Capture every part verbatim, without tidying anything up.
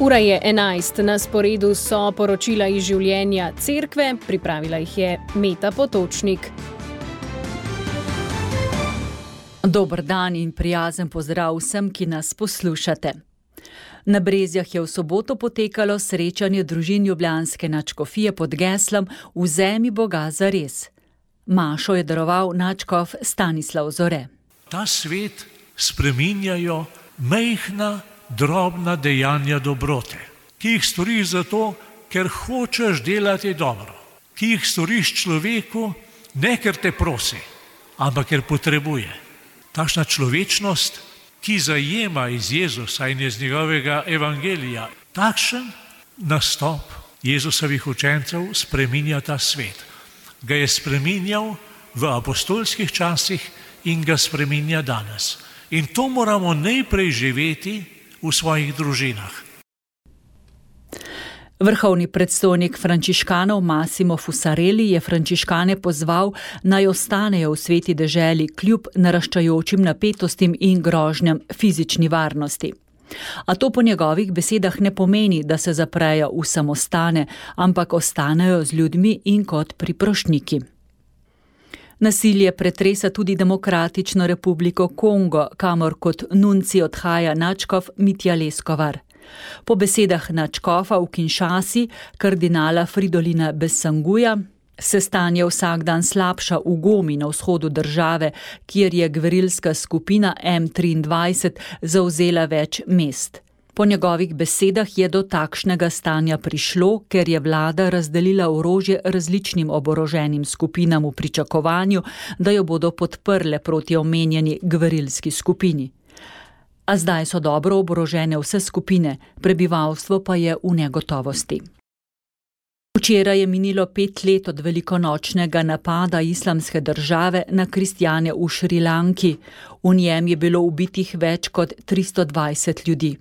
Ura je enajst, na sporedu so poročila iz življenja cerkve, pripravila jih je Meta Potočnik. Dober dan in prijazen pozdrav vsem, ki nas poslušate. Na Brezjah je v soboto potekalo srečanje družin ljubljanske nadškofije pod geslom Vzemi Boga zares. Mašo je daroval nadškof Stanislav Zore. Ta svet spreminjajo majhna, drobna dejanja dobrote, ki jih storiš zato, ker hočeš delati dobro, ki jih storiš človeku, ne ker te prosi, ampak ker potrebuje. Takšna človečnost, ki zajema iz Jezusa in iz njegovega evangelija, takšen nastop Jezusovih učencev spreminja ta svet. Ga je spreminjal v apostolskih časih in ga spreminja danes. In to moramo najprej živeti v svojih družinah. Vrhovni predstojnik frančiškanov Massimo Fusarelli je frančiškane pozval, naj ostanejo v sveti deželi kljub naraščajočim napetostim in grožnjam fizični varnosti. A to po njegovih besedah ne pomeni, da se zaprejo v samostane, ampak ostanejo z ljudmi in kot priprošniki. Nasilje pretresa tudi Demokratično republiko Kongo, kamor kot nunci odhaja nadškof Mitja Leskovar. Po besedah nadškofa v Kinshasi, kardinala Fridolina Besanguja, se stanje vsak dan slabša v Gomi na vzhodu države, kjer je gverilska skupina M triindvajset zavzela več mest. Po njegovih besedah je do takšnega stanja prišlo, ker je vlada razdelila orožje različnim oboroženim skupinam v pričakovanju, da jo bodo podprle proti omenjeni gverilski skupini. A zdaj so dobro oborožene vse skupine, prebivalstvo pa je v negotovosti. Včeraj je minilo pet let od velikonočnega napada islamske države na kristjane v Šrilanki. V njem je bilo ubitih več kot tristo dvajset ljudi.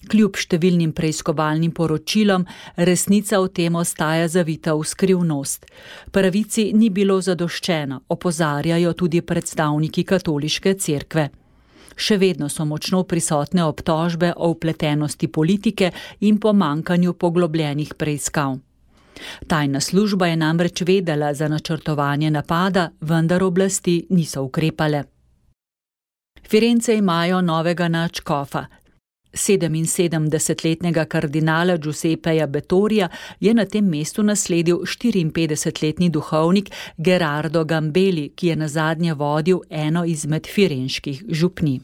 Kljub številnim preiskovalnim poročilom, resnica o tem ostaja zavita v skrivnost. Pravici ni bilo zadoščeno, opozarjajo tudi predstavniki katoliške cerkve. Še vedno so močno prisotne obtožbe o vpletenosti politike in pomankanju poglobljenih preiskav. Tajna služba je namreč vedela za načrtovanje napada, vendar oblasti niso ukrepale. Firence imajo novega nadškofa. Sedeminsedemdesetletnega kardinala Giuseppeja Bettorija je na tem mestu nasledil štiriinpetdesetletni duhovnik Gerardo Gambeli, ki je nazadnje vodil eno izmed firenških župnij.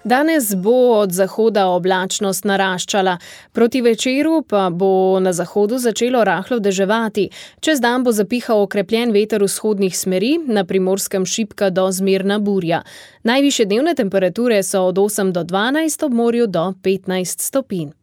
Danes bo od zahoda oblačnost naraščala, proti večeru pa bo na zahodu začelo rahlo deževati. Čez dan bo zapihal okrepljen veter vzhodnih smeri, na Primorskem šibka do zmerna burja. Najvišje dnevne temperature so od osem do dvanajst, ob morju do petnajst stopinj.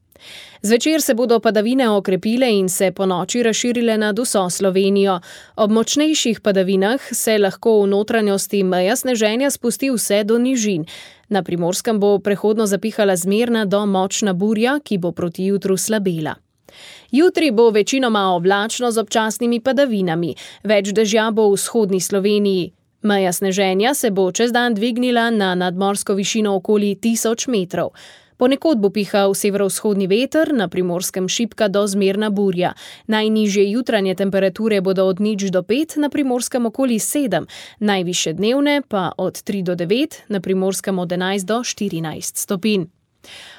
Zvečer se bodo padavine okrepile in se po noči razširile nad vso Slovenijo. Ob močnejših padavinah se lahko v notranjosti meja sneženja spusti vse do nižin. Na Primorskem bo prehodno zapihala zmerna do močna burja, ki bo proti jutru slabela. Jutri bo večinoma oblačno z občasnimi padavinami. Več dežja bo v vzhodni Sloveniji. Meja sneženja se bo čez dan dvignila na nadmorsko višino okoli tisoč metrov. Ponekod bo pihal severovzhodni veter, na Primorskem šibka do zmerna burja. Najnižje jutranje temperature bodo od nič do pet, na Primorskem okoli sedem, najvišje dnevne pa od tri do devet, na Primorskem od enajst do štirinajst stopinj.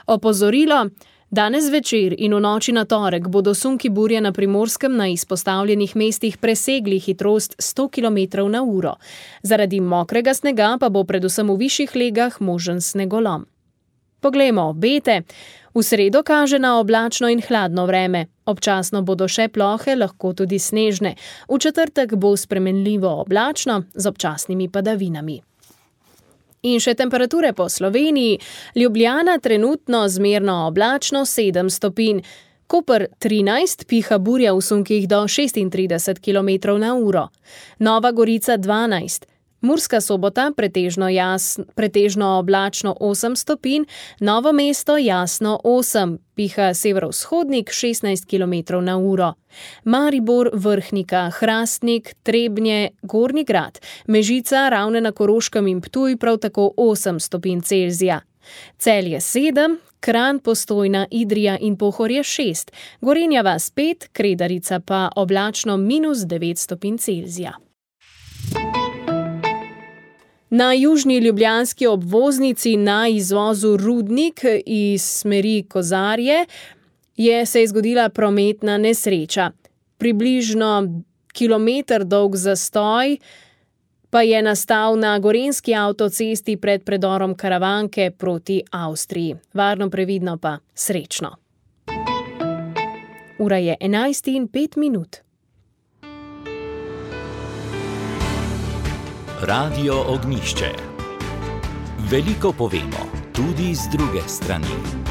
Opozorilo: danes večer in v noči na torek bodo sunki burje na Primorskem na izpostavljenih mestih presegli hitrost sto kilometrov na uro. Zaradi mokrega snega pa bo predvsem v višjih legah možen snegolom. Poglejmo obete. V sredo kaže na oblačno in hladno vreme. Občasno bodo še plohe, lahko tudi snežne. V četrtek bo spremenljivo oblačno z občasnimi padavinami. In še temperature po Sloveniji. Ljubljana trenutno zmerno oblačno sedem stopinj. Koper trinajst, piha burja v sunkih do šestintrideset kilometrov na uro. Nova Gorica dvanajst. Murska Sobota pretežno, jasn, pretežno oblačno osem stopinj, Novo mesto jasno osem, piha severovzhodnik šestnajst kilometrov na uro. Maribor, Vrhnika, Hrastnik, Trebnje, Gornji Grad, Mežica, Ravne na Koroškem in Ptuj prav tako osem stopinj Celzija. Celje sedem, Kranj, Postojna, Idrija in Pohorje šest, Gorenja vas pet, Kredarica pa oblačno minus devet stopinj Celzija. Na južni ljubljanski obvoznici na izvozu Rudnik iz smeri Kozarje je se je zgodila prometna nesreča. Približno kilometer dolg zastoj pa je nastal na gorenjski avtocesti pred predorom Karavanke proti Avstriji. Varno, previdno pa srečno. Ura je enajst in pet minut. Radio Ognjišče. Veliko povemo, tudi z druge strani.